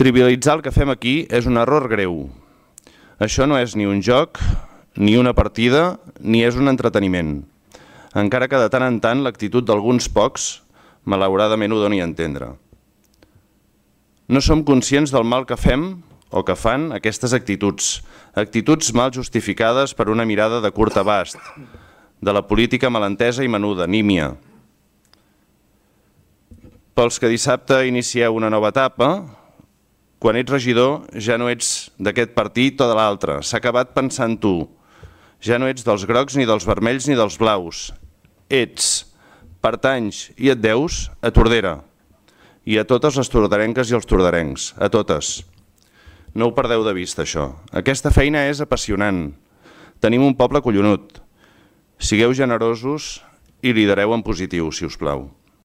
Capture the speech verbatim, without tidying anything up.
Trivialitzar el que fem aquí és un error greu. Això no és ni un joc, ni una partida, ni és un entreteniment. Encara que de tant en tant l'actitud d'alguns pocs, malauradament ho doni a entendre. No som conscients del mal que fem o que fan aquestes actituds, actituds mal justificades per una mirada de curt abast, de la política malentesa i menuda, nímia. Pels que dissabte inicieu una nova etapa, quan ets regidor ja no ets d'aquest partit o de l'altre, s'ha acabat pensant tu. Ja no ets dels grocs, ni dels vermells, ni dels blaus. Ets, pertanys i et deus a Tordera. I a totes les tordarenques i els tordarencs, a totes. No ho perdeu de vista, això. Aquesta feina és apassionant. Tenim un poble collonut. Sigueu generosos i lidereu en positiu, si us plau.